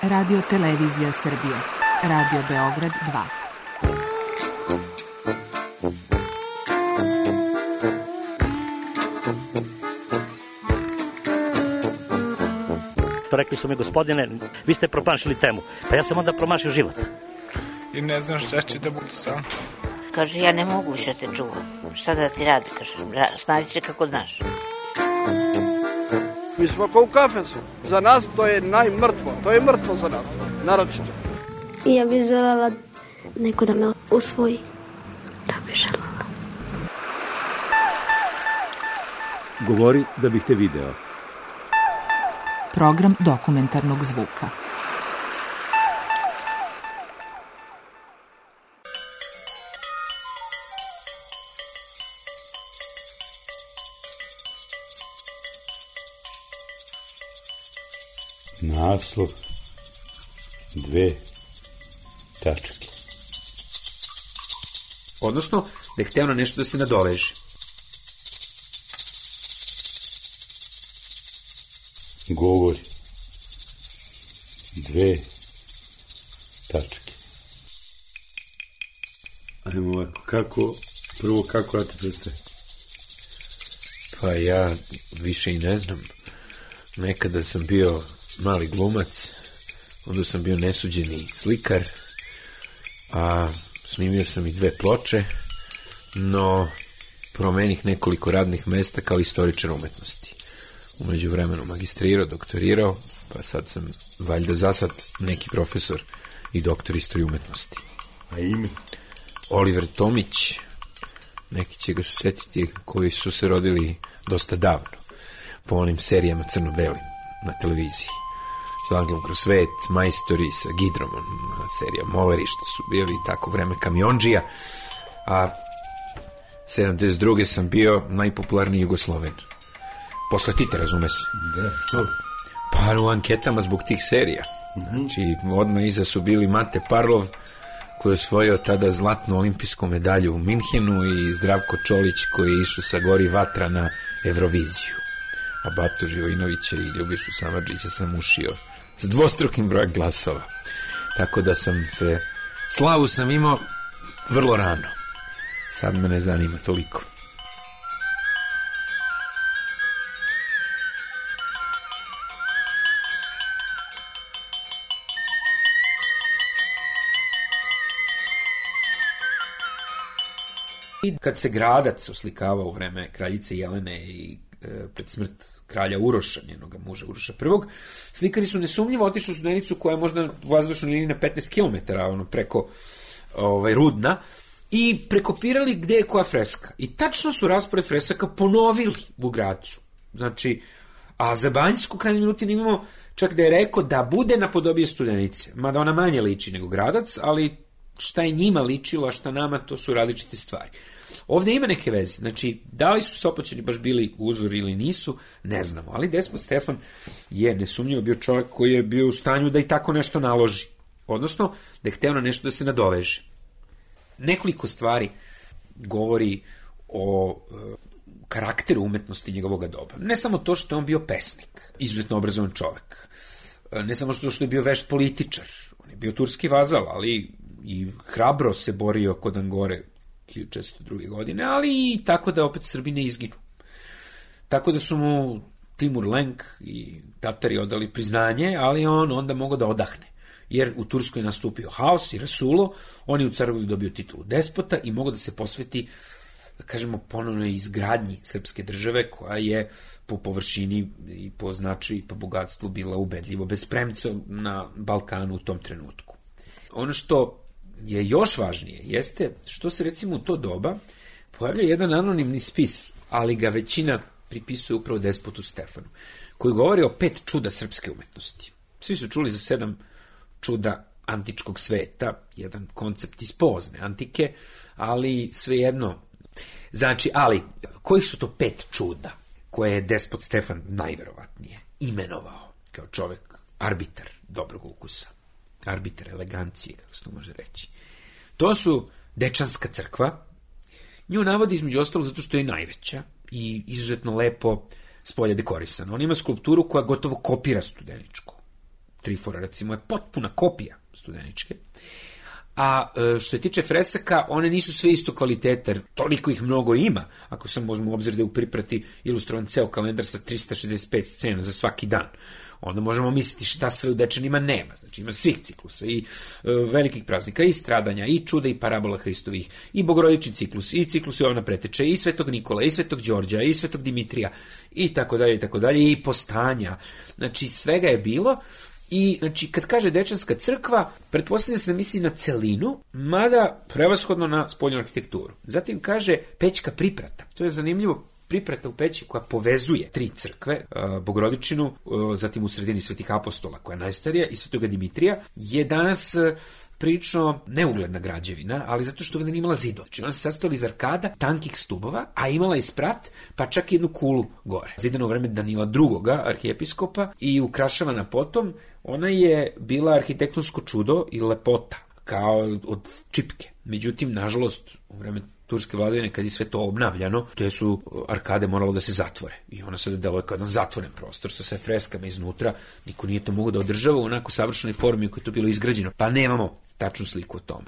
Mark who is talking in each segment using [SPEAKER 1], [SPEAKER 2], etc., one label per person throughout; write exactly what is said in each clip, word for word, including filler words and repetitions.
[SPEAKER 1] Radio Televizija Srbije, Radio Beograd dva.
[SPEAKER 2] Rekli su mi, gospodine, vi ste promašili temu. Pa ja sam onda promašio život.
[SPEAKER 3] I ne znam šta će da bude sam.
[SPEAKER 4] Kaže, ja ne mogu više te čuvam. Šta da ti radi, kaže, snađi se kako znaš.
[SPEAKER 5] Mi smo kao u kafesu. Za nas to je najmrtvo. To je mrtvo za nas, naročito.
[SPEAKER 6] Ja bih želela neko da me usvoji. Da bih želela.
[SPEAKER 7] Govori da bih te video.
[SPEAKER 1] Program dokumentarnog zvuka.
[SPEAKER 8] Naslov dve tačke.
[SPEAKER 9] Odnosno, da je hteo na nešto da se nadoveže.
[SPEAKER 8] Govori dve tačke. Ajmo ovako, kako, prvo kako ja te predstavim?
[SPEAKER 9] Pa ja više i ne znam. Nekada sam bio mali glumac, onda sam bio nesuđeni slikar, a snimio sam i dve ploče, no promenih nekoliko radnih mesta kao istoričar umetnosti. Umeđu vremenu magistrirao, doktorirao, pa sad sam valjda za sad neki profesor i doktor istorije umetnosti.
[SPEAKER 8] A ime?
[SPEAKER 9] Oliver Tomić, neki će ga se setiti koji su se rodili dosta davno, po onim serijama crno-belim na televiziji. S Anglom kroz svet, Majstori sa Gidromom, serija Moleri, što su bili tako vreme kamionđija, a sedamdeset druge sam bio najpopularniji Jugosloven. Posle Tita, razume se.
[SPEAKER 8] Da, što?
[SPEAKER 9] Pa u anketama zbog tih serija. Znači, odmah iza su bili Mate Parlov, koji je osvojio tada zlatnu olimpijsku medalju u Minhenu, i Zdravko Čolić, koji je išao sa Gori Vatra na Evroviziju. A Batu Živojinovića i Ljubišu Samardžića sam ušio s dvostrukim brojem glasova. Tako da sam se, slavu sam imao vrlo rano. Sad me ne zanima toliko. Kad se Gradac oslikavao u vreme kraljice Jelene i e, pred smrt kralja Uroša, njenog muža Uroša prvog, slikari su nesumnjivo otišli u Studenicu, koja je možda u vazdušnoj liniji na petnaest kilometara, ono, preko ovaj, Rudna, i prekopirali gde je koja freska. I tačno su raspored fresaka ponovili u Gracu. Znači, a za Banjsku krajnji Milutin imamo čak da je rekao da bude napodobije Studenice, mada ona manje liči nego Gradac, ali šta je njima ličilo, a šta nama, to su različite stvari. Ovdje ima neke veze, znači, da li su Sopoćani baš bili uzor ili nisu, ne znamo, ali Despot Stefan je nesumnjivo bio čovjek koji je bio u stanju da i tako nešto naloži, odnosno da je hteo na nešto da se nadoveže. Nekoliko stvari govori o e, karakteru umetnosti njegovog doba. Ne samo to što je on bio pesnik, izuzetno obrazovan čovjek, e, ne samo što je bio vešt političar, on je bio turski vazal, ali i hrabro se borio kod Angore hiljadu četiristo druge. godine, ali i tako da opet Srbi ne izginu. Tako da su mu Timur Lenk i Tatari odali priznanje, ali on onda mogao da odahne. Jer u Turskoj je nastupio haos i rasulo, on je u Crnogori dobio titulu despota i mogao da se posveti, da kažemo, ponovno izgradnji srpske države, koja je po površini i po značaju i po bogatstvu bila ubedljivo bez premca na Balkanu u tom trenutku. Ono što je još važnije jeste što se recimo u to doba pojavlja jedan anonimni spis, ali ga većina pripisuje upravo Despotu Stefanu, koji govori o pet čuda srpske umetnosti. Svi su čuli za sedam čuda antičkog sveta, jedan koncept iz pozne antike, ali svejedno. Znači, ali, kojih su to pet čuda koje je Despot Stefan najverovatnije imenovao kao čovek arbitar dobrog ukusa, arbitar elegancije, kako se to može reći? To su Dečanska crkva, nju navodi između ostalog zato što je najveća i izuzetno lepo spolja dekorisana. On ima skulpturu koja gotovo kopira Studeničku. Trifora, recimo, je potpuna kopija Studeničke. A što se tiče fresaka, one nisu sve isto kvalitete, toliko ih mnogo ima, ako sam uzmem u obzir da je u priprati ilustrovan ceo kalendar sa trista šezdeset pet scena za svaki dan. Onda možemo misliti šta sve u Dečanima nema. Znači ima svih ciklusa i e, velikih praznika, i stradanja, i čuda, i parabola Hristovih, i bogorodični ciklus, i ciklus Jovana Preteče, i Svetog Nikola, i Svetog Đorđa, i Svetog Dimitrija, i tako dalje, i tako dalje, i postanja. Znači svega je bilo. I, znači, kad kaže Dečanska crkva, pretpostavlja se da misli na celinu, mada prevashodno na spoljnu arhitekturu. Zatim kaže Pećka priprata. To je zanimljivo, priprata u Peći koja povezuje tri crkve, Bogorodičinu, zatim u sredini Svetih apostola, koja je najstarija, i Svetoga Dimitrija, je danas prilično neugledna građevina, ali zato što ovdje nije imala zidova. Znači ona se sastojala iz arkada, tankih stubova, a imala i sprat, pa čak i jednu kulu gore. Zidana u vreme Danila drugoga, arhijepiskopa, i ukrašavana potom. Ona je bila arhitektonsko čudo i lepota, kao od čipke. Međutim, nažalost, u vreme turske vladavine, kad je sve to obnavljano, te su arkade moralo da se zatvore. I ona sada deluje kao jedan zatvoren prostor sa sve freskama iznutra. Niko nije to mogo da održava u onako savršenoj formi u kojoj je to bilo izgrađeno. Pa nemamo tačnu sliku o tome.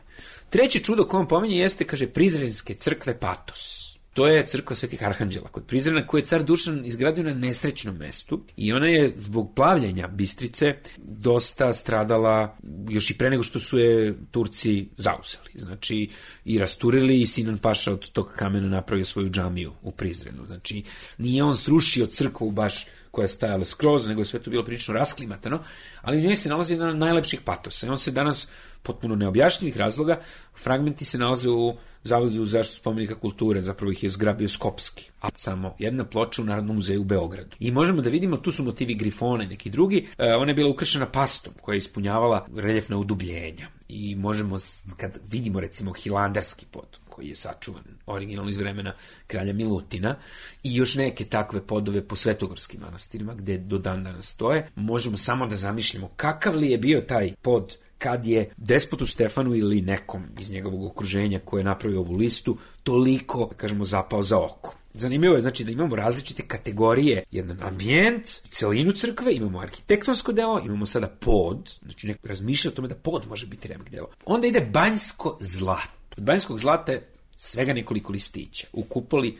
[SPEAKER 9] Treće čudo koje on pominje jeste, kaže, Prizrenske crkve Patos. To je crkva Svetih Arhanđela kod Prizrena, koju je car Dušan izgradio na nesrećnom mestu, i ona je zbog plavljenja Bistrice dosta stradala još i pre nego što su je Turci zauzeli. Znači, i rasturili, i Sinan Paša od tog kamena napravio svoju džamiju u Prizrenu. Znači, nije on srušio crkvu baš koja je stajala skroz, nego je sve to bilo prilično rasklimatano, ali u njoj se nalazi jedan od najlepših patosa. I on se danas, potpuno neobjašnjivih razloga, fragmenti se nalaze u Zavodu za zaštitu spomenika kulture, zapravo ih je zgrabio Skopski, a samo jedna ploča u Narodnom muzeju u Beogradu. I možemo da vidimo, tu su motivi grifona i neki drugi, e, ona je bila ukršena pastom koja je ispunjavala reljefna udubljenja. I možemo, kad vidimo recimo Hilandarski pod, koji je sačuvan originalno iz vremena kralja Milutina, i još neke takve podove po svetogorskim manastirima, gde do dan danas stoje, možemo samo da zamišljamo kakav li je bio taj pod kad je despotu Stefanu ili nekom iz njegovog okruženja koje je napravio ovu listu toliko, kažemo, zapao za oko. Zanimljivo je, znači, da imamo različite kategorije, jedan ambijent, celinu crkve, imamo arhitektonsko delo, imamo sada pod, znači neko razmišlja o tome da pod može biti remek delo. Onda ide banjsko zlato. Od banjskog zlata je svega nekoliko listića u kupoli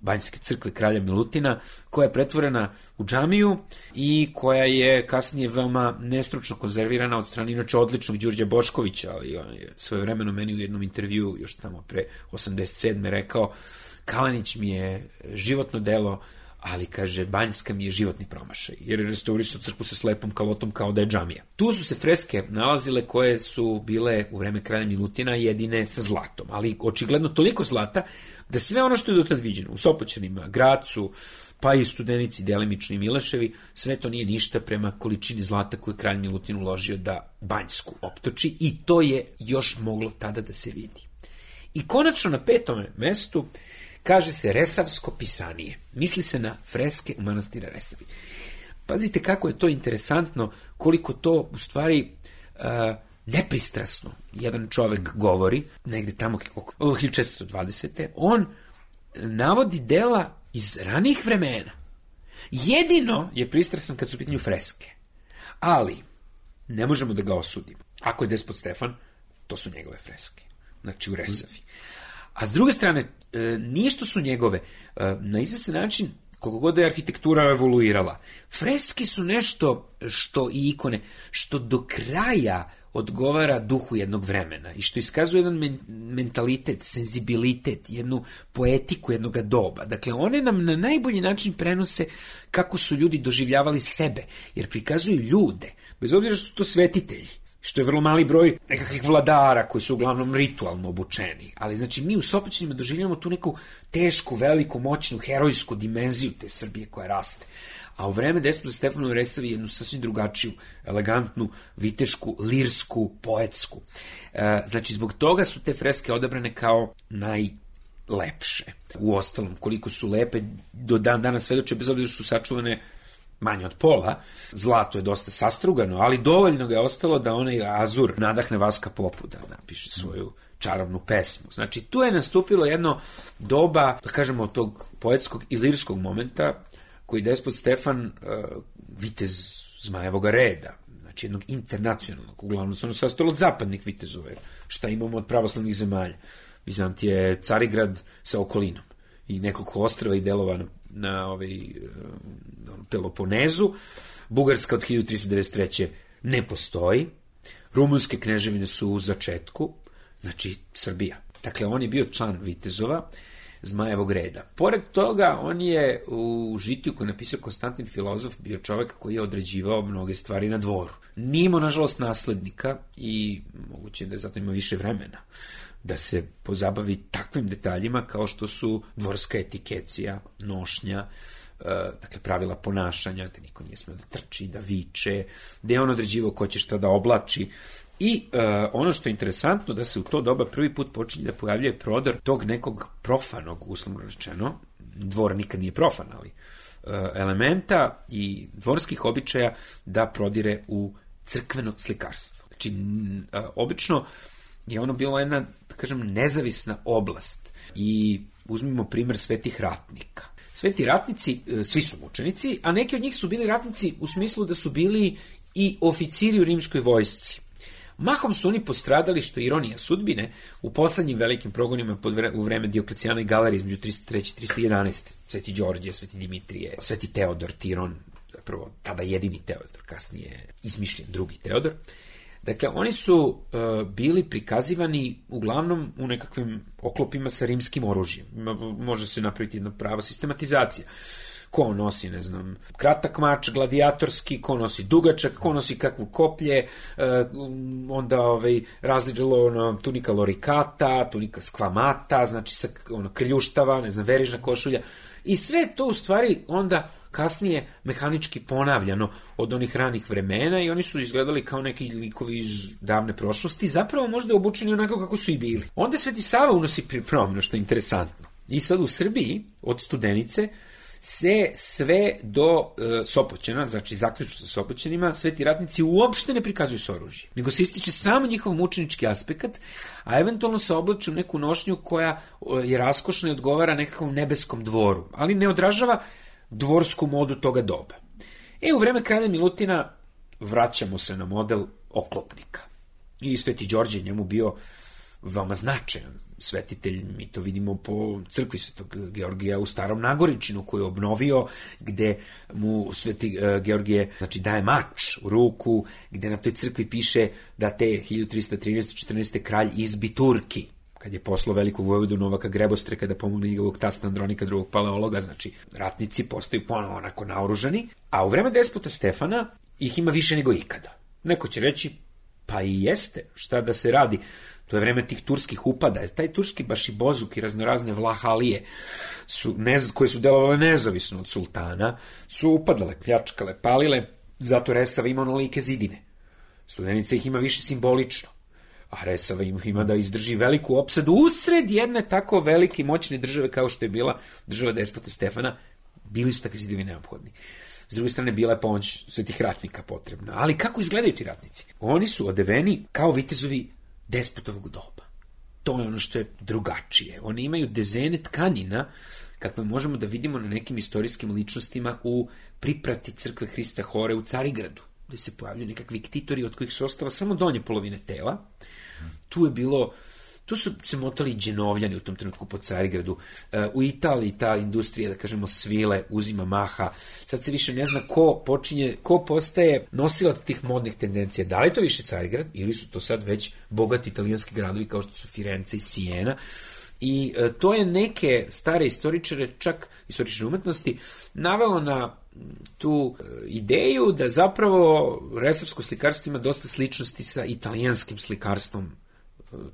[SPEAKER 9] Banjske crkve kralja Milutina, koja je pretvorena u džamiju i koja je kasnije veoma nestručno konzervirana od strane inače odličnog Đurđa Boškovića, ali on je svojevremeno meni u jednom intervju još tamo pre osamdeset sedme rekao: Kalanić mi je životno delo, ali, kaže, Banjska mi je životni promašaj, jer je restaurisao crkvu sa slepom kalotom kao da je džamija. Tu su se freske nalazile koje su bile u vreme kralja Milutina jedine sa zlatom, ali očigledno toliko zlata da sve ono što je dotad viđeno u Sopoćanima, Gracu, pa i Studenici, delimično i Mileševi, sve to nije ništa prema količini zlata koju je kralj Milutin uložio da Banjsku optoči, i to je još moglo tada da se vidi. I konačno na petome mestu kaže se Resavsko pisanije. Misli se na freske u manastira Resavi. Pazite kako je to interesantno, koliko to u stvari uh, nepristrasno jedan čovek govori, negde tamo hiljadu četiristo dvadesete On navodi dela iz ranijih vremena. Jedino je pristrasan kad su u pitanju freske. Ali ne možemo da ga osudimo. Ako je despot Stefan, to su njegove freske. Znači u Resavi. A s druge strane, nije što su njegove, na izvestan način, koliko god je arhitektura evoluirala, freske su nešto što i ikone, što do kraja odgovara duhu jednog vremena i što iskazuje jedan men- mentalitet, senzibilitet, jednu poetiku jednog doba. Dakle, one nam na najbolji način prenose kako su ljudi doživljavali sebe, jer prikazuju ljude, bez obzira što su to svetitelji, što je vrlo mali broj nekakvih vladara koji su uglavnom ritualno obučeni. Ali, znači, mi u Sopoćanima doživljamo tu neku tešku, veliku, moćnu, herojsku dimenziju te Srbije koja raste. A u vreme despota Stefana u Resavi jednu sasvim drugačiju, elegantnu, vitešku, lirsku, poetsku. E, znači, zbog toga su te freske odabrane kao najlepše. U ostalom, koliko su lepe, do dan danas svedoče, bez obzira što su sačuvane manje od pola, zlato je dosta sastrugano, ali dovoljno ga je ostalo da onaj azur nadahne Vaska Popu da napiše svoju čarobnu pesmu. Znači, tu je nastupilo jedno doba, da kažemo, tog poetskog i lirskog momenta, koji despot Stefan, uh, vitez Zmajevoga reda, znači jednog internacionalnog, uglavnom se ono sastojalo od zapadnih vitezova, šta imamo od pravoslavnih zemalja. Vizantije, Carigrad sa okolinom i nekoliko ostrava i delova na, na ovaj, Peloponezu. Bugarska od hiljadu tristo devedeset treće ne postoji. Rumunske kneževine su u začetku, znači Srbija. Dakle, on je bio član vitezova Zmajevog reda. Pored toga, on je u žitiju koji je napisao Konstantin Filozof bio čovjek koji je određivao mnoge stvari na dvoru. Nije imao, nažalost, naslednika i moguće da je zato ima više vremena da se pozabavi takvim detaljima kao što su dvorska etikecija, nošnja, dakle pravila ponašanja, da niko nije smeo da trči, da viče, da je on određivao ko će šta da oblači. I uh, ono što je interesantno, da se u to doba prvi put počinje da pojavljuje prodor tog nekog profanog, uslovno rečeno, dvor nikad nije profan, ali uh, elementa i dvorskih običaja da prodire u crkveno slikarstvo. Znači, uh, obično je ono bilo jedna, da kažem, nezavisna oblast. I uzmimo primer svetih ratnika. Sveti ratnici, uh, svi su mučenici, a neki od njih su bili ratnici u smislu da su bili i oficiri u rimskoj vojsci. Mahom su oni postradali, što je ironija sudbine, u poslednjim velikim progonima pod vre, u vreme Dioklecijana i Galerije između tristo treće i tristo jedanaeste. Sveti Đorđe, Sveti Dimitrije, Sveti Teodor, Tiron, zapravo tada jedini Teodor, kasnije izmišljen drugi Teodor. Dakle, oni su uh, bili prikazivani uglavnom u nekakvim oklopima sa rimskim oružjem. Može se napraviti jedna prava sistematizacija. Ko nosi, ne znam, kratak mač, gladijatorski, ko nosi dugačak, ko nosi kakvu koplje, e, onda ovaj, različilo ono, tunika lorikata, tunika skvamata, znači sa ono, krljuštava, ne znam, verižna košulja. I sve to u stvari onda kasnije mehanički ponavljano od onih ranih vremena i oni su izgledali kao neki likovi iz davne prošlosti, zapravo možda obučeni onako kako su i bili. Onda Sveti Sava unosi promjenu, što je interesantno. I sad u Srbiji, od Studenice, se sve do e, Sopoćena, znači zaključno sa Sopoćenima, sveti ratnici uopšte ne prikazuju s oružjem, nego se ističe samo njihov mučenički aspekt, a eventualno se oblače u neku nošnju koja je raskošna i odgovara nekakvom nebeskom dvoru, ali ne odražava dvorsku modu toga doba. E, u vreme kralja Milutina vraćamo se na model oklopnika. I Sveti Đorđe njemu bio veoma značajan svetitelj, mi to vidimo po crkvi Svetog Georgija u Starom Nagoričinu koju je obnovio, gde mu Sveti uh, Georgije znači, daje mač u ruku, gde na toj crkvi piše da te hiljadu tristo trinaeste četrnaeste kralj izbi Turki, kad je poslao velikog vojvodu Novaka Grebostre da pomogne njegovog tasta Andronika drugog paleologa, znači ratnici postaju ponovo onako naoružani, a u vreme despota Stefana ih ima više nego ikada. Neko će reći, pa i jeste, šta da se radi, to je vreme tih turskih upada, jer taj turski bašibozuk i raznorazne vlahalije su, ne, koje su delovale nezavisno od sultana, su upadale, pljačkale, palile, zato Resava ima onolike zidine. Studenica ih ima više simbolično, a Resava ima da izdrži veliku opsadu usred jedne tako velike i moćne države kao što je bila država despota Stefana, bili su takvi zidovi neophodni. S druge strane, bila je pomoć svetih ratnika potrebna. Ali kako izgledaju ti ratnici? Oni su odeveni kao vitezovi despotovog doba. To je ono što je drugačije. Oni imaju dezene tkanina, kakve možemo da vidimo na nekim istorijskim ličnostima u priprati crkve Hrista Hore u Carigradu, gde se pojavljaju nekakvi ktitori od kojih su ostala samo donje polovine tela. Tu je bilo Tu su se motali dženovljani u tom trenutku po Carigradu. U Italiji ta industrija, da kažemo, svile, uzima maha. Sad se više ne zna ko počinje, ko postaje nosilac tih modnih tendencija. Da li je to više Carigrad ili su to sad već bogati italijanski gradovi kao što su Firenze i Sijena. I e, to je neke stare istoričare, čak istorične umetnosti, navelo na tu e, ideju da zapravo resavsko slikarstvo ima dosta sličnosti sa italijanskim slikarstvom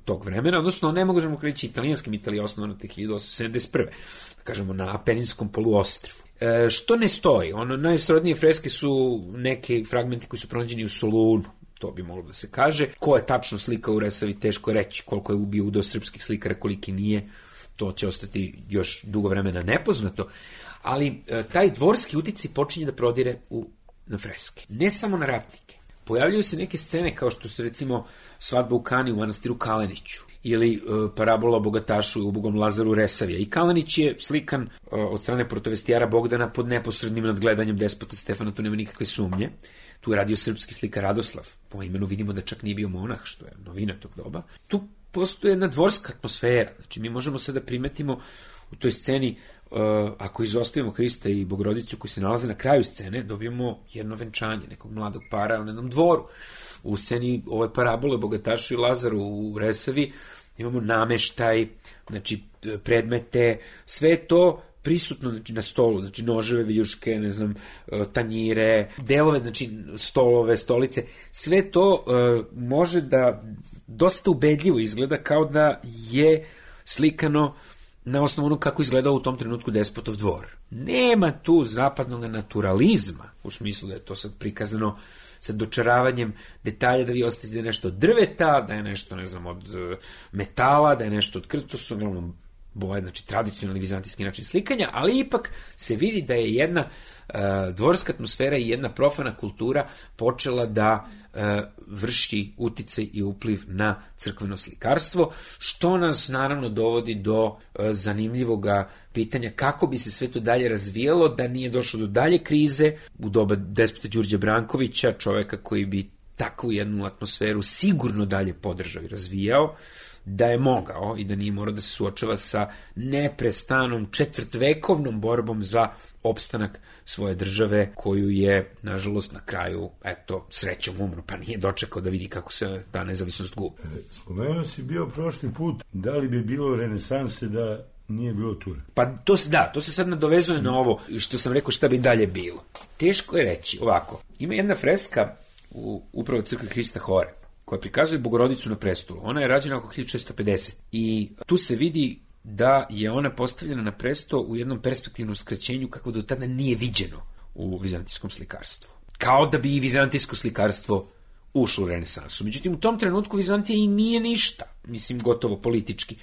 [SPEAKER 9] tog vremena, odnosno ne možemo reći italijanskim, Italija je osnovana tek hiljadu osamsto sedamdeset prve da kažemo na Apeninskom poluostrvu. E, što ne stoji? Ono, najsrodnije freske su neke fragmenti koji su pronađeni u Solunu, to bi moglo da se kaže. Ko je tačno slika u Resavi, teško je reći, koliko je ubio udeo srpskih slikara, koliki nije, to će ostati još dugo vremena nepoznato, ali e, taj dvorski uticaj počinje da prodire u, na freske. Ne samo na ratnike. Pojavljaju se neke scene kao što su recimo svadba u Kani u manastiru Kaleniću ili uh, parabola o bogatašu i ubogom Lazaru Resavija. I Kalanić je slikan uh, od strane protovestijara Bogdana pod neposrednim nadgledanjem despota Stefana, tu nema nikakve sumnje. Tu je radio srpski slikar Radoslav, po imenu vidimo da čak nije bio monah, što je novina tog doba. Tu postoje jedna dvorska atmosfera, znači mi možemo sada primetimo u toj sceni, uh, ako izostavimo Hrista i Bogorodicu koji se nalaze na kraju scene, dobijemo jedno venčanje nekog mladog para u jednom dvoru. U sceni ove parabole Bogatašu i Lazaru u Resavi imamo nameštaj, znači predmete, sve to prisutno, znači, na stolu, znači noževe, viljuške, ne znam, tanjire, delove, znači stolove, stolice, sve to uh, može da dosta ubedljivo izgleda kao da je slikano na osnovu ono kako izgledao u tom trenutku Despotov dvor. Nema tu zapadnog naturalizma, u smislu da je to sad prikazano sa dočaravanjem detalja, da vi ostavite nešto od drveta, da je nešto, ne znam, od metala, da je nešto od krsta, to su uglavnom boje, znači tradicionalni vizantijski način slikanja, ali ipak se vidi da je jedna uh, dvorska atmosfera i jedna profana kultura počela da uh, vrši uticaj i upliv na crkveno slikarstvo, što nas naravno dovodi do uh, zanimljivog pitanja kako bi se sve to dalje razvijalo, da nije došlo do dalje krize u doba despota Đurđa Brankovića, čoveka koji bi takvu jednu atmosferu sigurno dalje podržao i razvijao, da je mogao i da nije morao da se suočava sa neprestanom četvrtvekovnom borbom za opstanak svoje države, koju je, nažalost, na kraju, eto, srećom umro, pa nije dočekao da vidi kako se ta nezavisnost gubi.
[SPEAKER 8] Spomenuo si bio prošli put, da li bi bilo renesanse da nije bilo Tura?
[SPEAKER 9] Pa to se, da, to se sad nadovezuje na ovo što sam rekao šta bi dalje bilo. Teško je reći, ovako, ima jedna freska u upravo crkvi Hrista Hore, koja prikazuje Bogorodicu na prestolu. Ona je rađena oko hiljadu šesto pedeset. I tu se vidi da je ona postavljena na presto u jednom perspektivnom skraćenju kako do tada nije viđeno u vizantijskom slikarstvu. Kao da bi i vizantijsko slikarstvo ušlo u renesansu. Međutim, u tom trenutku Vizantija i nije ništa, mislim, gotovo politički,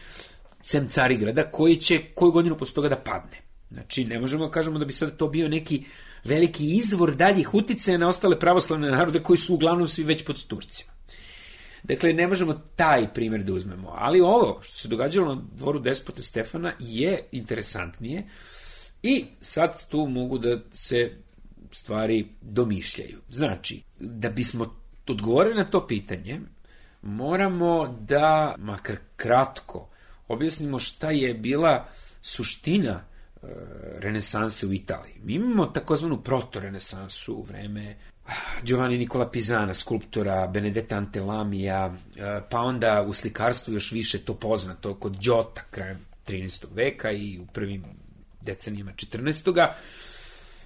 [SPEAKER 9] sem Carigrada, koji će koju godinu posle toga da padne. Znači, ne možemo da kažemo da bi sad to bio neki veliki izvor daljih uticaja na ostale pravoslavne narode koji su uglavnom svi već pod Turcima. Dakle, ne možemo taj primjer da uzmemo, ali ovo što se događalo na dvoru despota Stefana je interesantnije i sad tu mogu da se stvari domišljaju. Znači, da bismo odgovorili na to pitanje, moramo da, makar kratko, objasnimo šta je bila suština e, renesanse u Italiji. Mi imamo takozvanu proto-renesansu u vreme Giovanni Nicola Pisana, skulptora, Benedetta Antelamija, pa onda u slikarstvu još više to poznato kod Giota krajem trinaestog veka i u prvim decenijama četrnaestog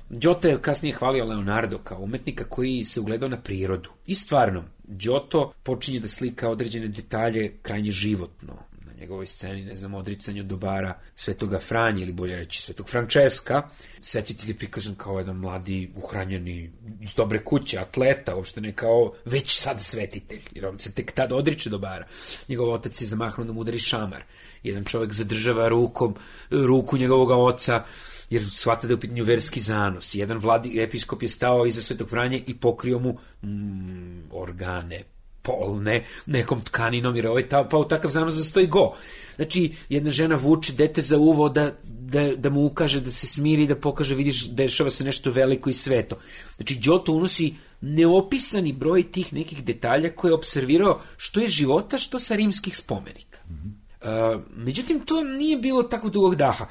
[SPEAKER 9] Giotto je kasnije hvalio Leonardo kao umetnika koji se ugledao na prirodu. I stvarno, Giotto počinje da slika određene detalje krajnje životno. Na njegovoj sceni, ne znam, odricanje od dobara Svetoga Franje, ili bolje reći Svetog Frančeska. Svetitelj je prikazan kao jedan mladi, uhranjeni, iz dobre kuće, atleta, uopšte ne kao već sad svetitelj, jer on se tek tada odriče dobara. Njegov otac je zamahnuo da mu udari šamar. Jedan čovjek zadržava rukom, ruku njegovog oca, jer shvata da je u pitanju verski zanos. Jedan vladi, episkop je stao iza Svetog Franje i pokrio mu mm, organe polne nekom tkaninom, jer ovaj ta, pa u takav zanos zastoji go. Znači, jedna žena vuče dete za uvo da, da, da mu ukaže da se smiri, da pokaže, vidiš, dešava se nešto veliko i sveto. Znači, Giotto unosi neopisani broj tih nekih detalja koje je observirao što iz života, što sa rimskih spomenika. Mm-hmm. Uh, međutim, to nije bilo tako dugog daha.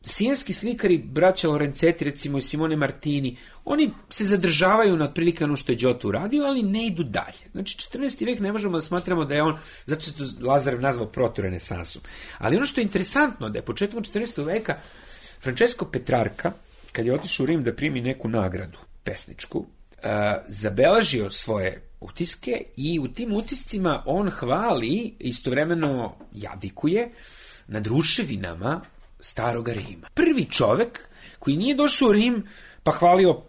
[SPEAKER 9] Sijenski slikari, braća Lorenzetti, recimo i Simone Martini, oni se zadržavaju na otprilike ono što je Giotto uradio, ali ne idu dalje. Znači, četrnaesti vek ne možemo da smatramo da je on, zato se to Lazarev nazvao proto-renesansom. Ali ono što je interesantno, da je početkom četrnaestog veka Francesco Petrarca, kad je otišao u Rim da primi neku nagradu pesničku, uh, zabeležio svoje utiske i u tim utiscima on hvali, istovremeno jadikuje nad ruševinama Staroga Rima. Prvi čovek koji nije došao u Rim pa hvalio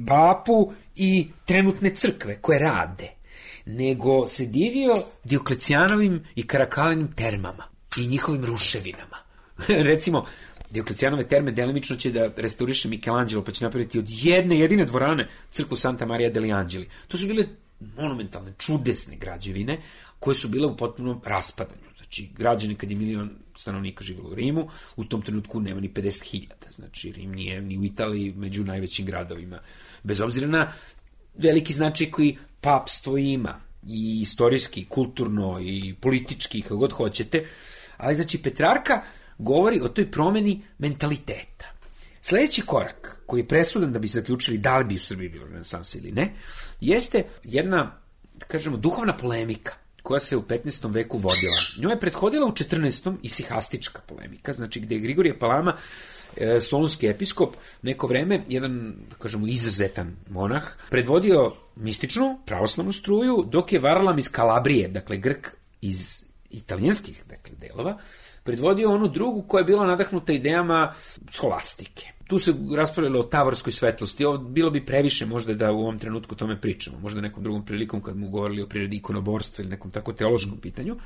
[SPEAKER 9] papu i trenutne crkve koje rade, nego se divio Dioklecijanovim i Karakalinim termama i njihovim ruševinama. Recimo, Dioklecijanove terme delimično će da restauriše Michelangelo, pa će napraviti od jedne jedine dvorane crkvu Santa Maria degli Angeli. To su bile monumentalne, čudesne građevine koje su bile u potpunom raspadanju. Znači, građani kad je milion stanovnika živjelo u Rimu, u tom trenutku nema ni pedeset hiljada. Znači, Rim nije ni u Italiji među najvećim gradovima. Bez obzira na veliki značaj koji papstvo ima, i istorijski, kulturno, i politički, kako god hoćete. Ali, znači, Petrarka govori o toj promeni mentaliteta. Sljedeći korak, koji je presudan da bi zaključili da li bi u Srbiji bilo renesansa ili ne, jeste jedna, da kažemo, duhovna polemika koja se u petnaestom veku vodila. Njoj je prethodila u četrnaestom isihastička polemika, znači gde je Grigorije Palama, e, solunski episkop, neko vreme, jedan, da kažemo, izuzetan monah, predvodio mističnu pravoslavnu struju, dok je Varlam iz Kalabrije, dakle Grk iz italijanskih, dakle, delova, predvodio onu drugu koja je bila nadahnuta idejama skolastike. Tu se raspravljalo o tavorskoj svetlosti. Ovo bilo bi previše možda da u ovom trenutku o tome pričamo. Možda nekom drugom prilikom kad mu govorili o prirodi ikonoborstva ili nekom tako teološkom pitanju.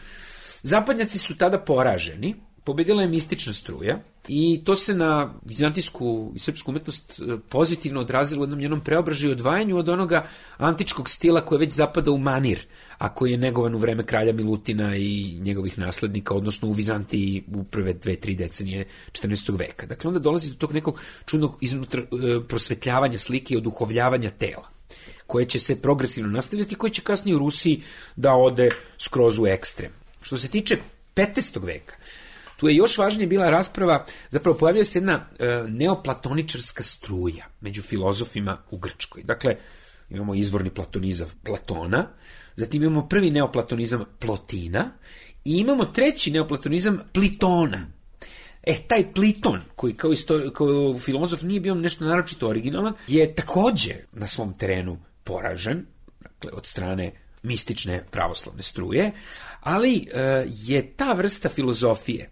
[SPEAKER 9] Zapadnjaci su tada poraženi. Pobedila je mistična struja i to se na vizantijsku i srpsku umetnost pozitivno odrazilo u jednom njenom preobražaju i odvajanju od onoga antičkog stila koji već zapada u manir, a koji je negovan u vreme kralja Milutina i njegovih naslednika, odnosno u Vizantiji u prve dve, tri decenije četrnaestog veka. Dakle, onda dolazi do tog nekog čudnog iznutra prosvetljavanja slike i oduhovljavanja tela, koje će se progresivno nastavljati i koje će kasnije u Rusiji da ode skroz u ekstrem. Što se tiče petnaestog veka, tu je još važnije bila rasprava, zapravo pojavlja se jedna e, neoplatoničarska struja među filozofima u Grčkoj. Dakle, imamo izvorni platonizam Platona, zatim imamo prvi neoplatonizam Plotina i imamo treći neoplatonizam Plitona. E, taj Pliton, koji kao, istori- kao filozof nije bio nešto naročito originalan, je takođe na svom terenu poražen, dakle, od strane mistične pravoslavne struje, ali e, je ta vrsta filozofije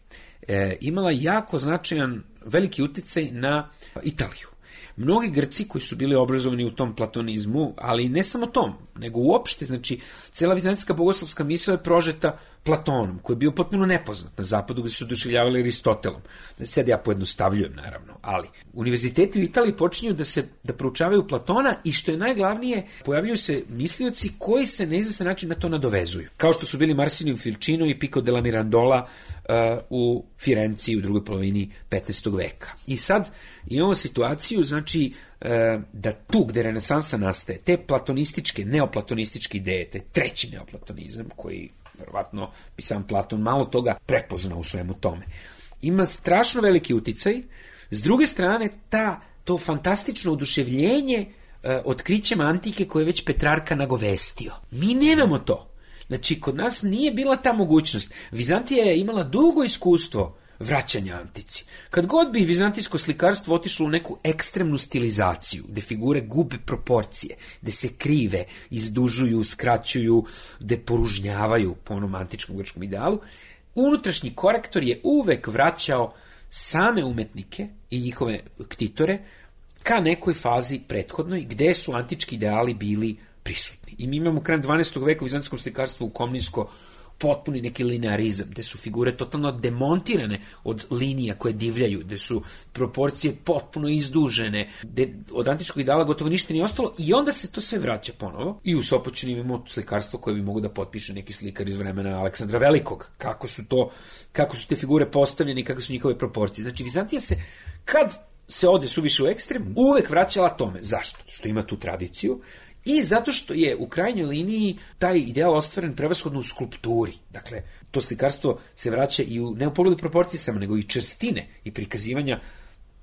[SPEAKER 9] e, imala jako značajan veliki uticaj na Italiju. Mnogi Grci koji su bili obrazovani u tom platonizmu, ali ne samo tom, nego uopšte, znači, cela vizantijska bogoslovska misao je prožeta Platonom, koji je bio potpuno nepoznat na zapadu, gde su oduševljavali Aristotelom. Sad ja pojednostavljujem, naravno, ali univerziteti u Italiji počinju da se da proučavaju Platona i što je najglavnije, pojavljuju se mislioci koji se na izvestan način na to nadovezuju. Kao što su bili Marsilio Ficino i Pico della Mirandola uh, u Firenci u drugoj polovini petnaestog veka. I sad imamo situaciju, znači, uh, da tu gde renesansa nastaje, te platonističke, neoplatonističke ideje, te treći neoplatonizam koji verovatno bi sam Platon malo toga prepoznao u svemu tome, ima strašno veliki uticaj. S druge strane, ta, to fantastično oduševljenje e, otkrićem antike koje je već Petrarka nagovestio. Mi nemamo to. Znači, kod nas nije bila ta mogućnost. Vizantija je imala dugo iskustvo vraćanja antici. Kad god bi vizantijsko slikarstvo otišlo u neku ekstremnu stilizaciju, gde figure gube proporcije, gde se krive, izdužuju, skraćuju, gde poružnjavaju po onom antičkom grčkom idealu, unutrašnji korektor je uvek vraćao same umetnike i njihove ktitore ka nekoj fazi prethodnoj, gde su antički ideali bili prisutni. I mi imamo krajem dvanaestog veka u vizantijskom slikarstvu u Komninsko potpuni neki linearizam, gde su figure totalno demontirane od linija koje divljaju, gde su proporcije potpuno izdužene, gde od antičkog ideala gotovo ništa nije ostalo i onda se to sve vraća ponovo. I u Sopoćani imamo slikarstvo koje bi mogo da potpiše neki slikar iz vremena Aleksandra Velikog. Kako su to, kako su te figure postavljene i kako su njihove proporcije. Znači, Vizantija se, kad se ode suviše u ekstrem, uvek vraćala tome. Zašto? Što ima tu tradiciju. I zato što je u krajnjoj liniji taj ideal ostvaren prevashodno u skulpturi. Dakle, to slikarstvo se vraća i u, ne u pogledu proporcije samo, nego i čvrstine i prikazivanja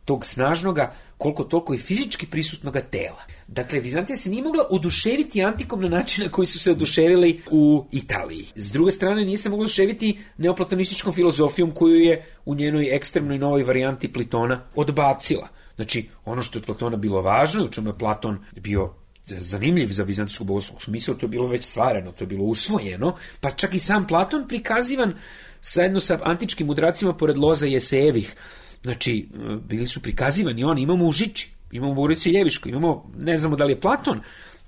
[SPEAKER 9] tog snažnoga, koliko toliko i fizički prisutnoga tela. Dakle, Vizantija se nije mogla oduševiti antikom na način na koji su se oduševili u Italiji. S druge strane, nije se mogla oduševiti neoplatonističkom filozofijom koju je u njenoj ekstremnoj novoj varijanti Plitona odbacila. Znači, ono što je Platona bilo važno, u čemu je Platon bio zanimljiv za vizantijsku bogoslovsku smisao, to je bilo već stvareno, to je bilo usvojeno, pa čak i sam Platon prikazivan zajedno sa antičkim mudracima pored Loza i Esejevih. Znači, bili su prikazivani oni, imamo u Žiči, imamo u Bogorodici Ljeviškoj, imamo, ne znamo da li je Platon,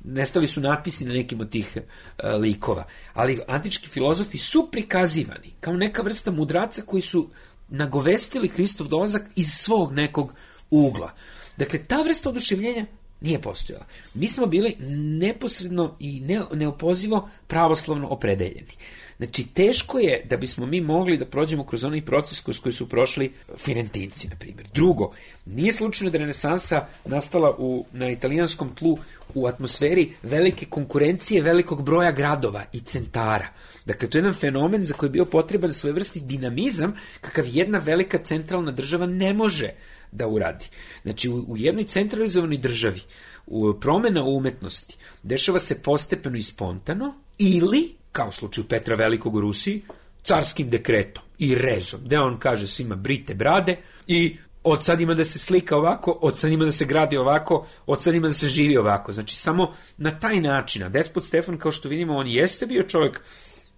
[SPEAKER 9] nestali su natpisi na nekim od tih uh, likova, ali antički filozofi su prikazivani kao neka vrsta mudraca koji su nagovestili Hristov dolazak iz svog nekog ugla. Dakle, ta vrsta oduševljenja Nije postojala. Mi smo bili neposredno i ne, neopozivo pravoslavno opredeljeni. Znači, teško je da bismo mi mogli da prođemo kroz onaj proces kroz koji su prošli Firentinci, na primjer. Drugo, nije slučajno da je renesansa nastala u, na italijanskom tlu u atmosferi velike konkurencije, velikog broja gradova i centara. Dakle, to je jedan fenomen za koji je bio potreban svojevrsni dinamizam, kakav jedna velika centralna država ne može da uradi. Znači, u, u jednoj centralizovanoj državi u, promena u umetnosti dešava se postepeno i spontano, ili, kao u slučaju Petra Velikog u Rusiji, carskim dekretom i rezom, gde on kaže svima brite brade i od sad ima da se slika ovako, od sad ima da se gradi ovako, od sad ima da se živi ovako. Znači, samo na taj način. A despot Stefan, kao što vidimo, on jeste bio čovjek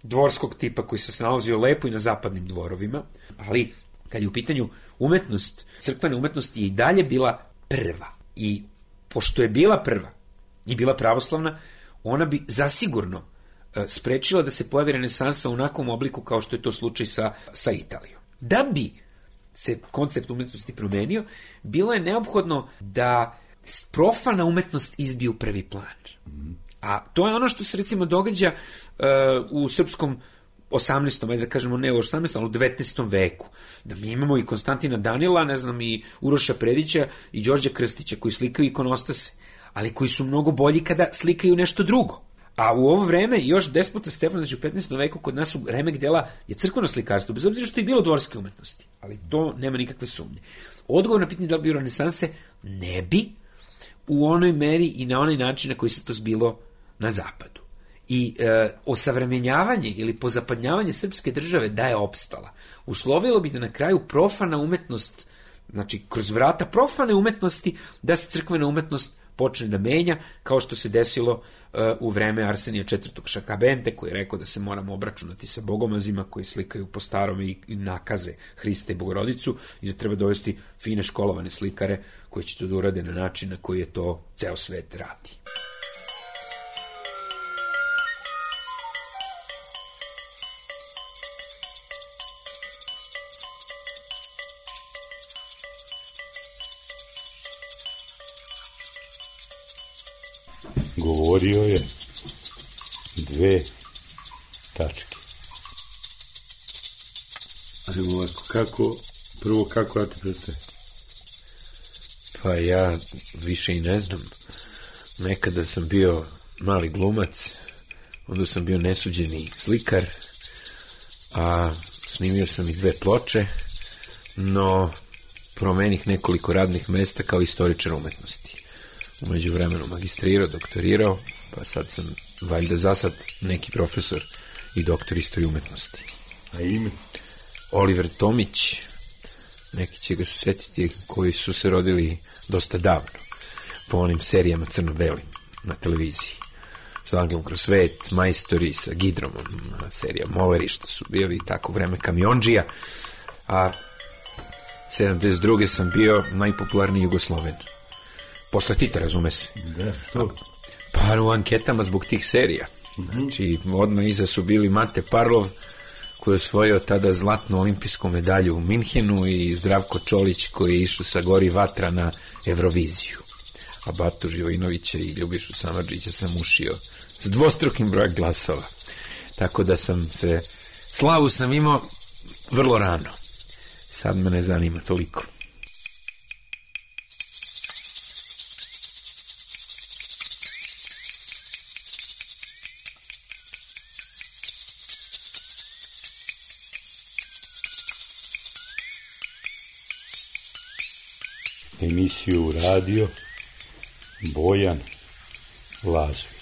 [SPEAKER 9] dvorskog tipa koji se snalazio lepo i na zapadnim dvorovima, ali kad je u pitanju umetnost, crkvena umetnost je i dalje bila prva. I pošto je bila prva i bila pravoslavna, ona bi zasigurno sprečila da se pojavi renesansa u onakvom obliku kao što je to slučaj sa, sa Italijom. Da bi se koncept umetnosti promenio, bilo je neophodno da profana umetnost izbije u prvi plan. A to je ono što se recimo događa uh, u srpskom osamnaestom, ajde da kažemo ne u osamnaestom, ali u devetnaestom veku. Da mi imamo i Konstantina Danila, ne znam, i Uroša Predića i Đorđa Krstića koji slikaju ikonostase, ali koji su mnogo bolji kada slikaju nešto drugo. A u ovo vreme još despota Stefan, znači u petnaestom veku kod nas u remek dela je crkveno slikarstvo, bez obzira što je bilo dvorske umetnosti. Ali to nema nikakve sumnje. Odgovor na pitanje da li bi renesanse ne bi u onoj meri i na onaj način na koji se to zbilo na zapadu. I e, osavremenjavanje ili pozapadnjavanje srpske države da je opstala, uslovilo bi da na kraju profana umetnost, znači kroz vrata profane umetnosti, da se crkvena umetnost počne da menja, kao što se desilo uh, u vreme Arsenija četvrtog Šakabente, koji je rekao da se moramo obračunati sa bogomazima koji slikaju po starome i, i nakaze Hrista i Bogorodicu i da treba dovesti fine školovane slikare koji će to da urade na način na koji je to ceo svet radi.
[SPEAKER 8] Govorio je dve tačke. Ali ovako, kako, prvo kako ja ti predstavim?
[SPEAKER 9] Pa ja više i ne znam. Nekada sam bio mali glumac, onda sam bio nesuđeni slikar, a snimio sam i dve ploče, no promenih nekoliko radnih mesta kao istoričar umetnosti. Umeđu vremenu magistrirao, doktorirao, pa sad sam valjda za sad neki profesor i doktor istorije umetnosti.
[SPEAKER 8] A ime?
[SPEAKER 9] Oliver Tomić, neki će ga se setiti, koji su se rodili dosta davno, po onim serijama crno-belim na televiziji. Sa Angelom kroz svet, Majstori, sa Gidromom, serija Moleri, što su bili tako vreme kamionđija, a sedamdeset druge sam bio najpopularniji Jugosloven. Posle Tita, razume se.
[SPEAKER 8] Da, što?
[SPEAKER 9] Pa u anketama zbog tih serija. Znači, odmah iza su bili Mate Parlov, koji je osvojio tada zlatnu olimpijsku medalju u Minhenu, i Zdravko Čolić, koji je išao sa Gori vatra na Euroviziju. A Batu Živojinovića i Ljubišu Samardžića sam ušio s dvostrukim brojem glasova. Tako da sam se, slavu sam imao vrlo rano. Sad me ne zanima toliko.
[SPEAKER 8] Emisiju radio Bojan Lazović.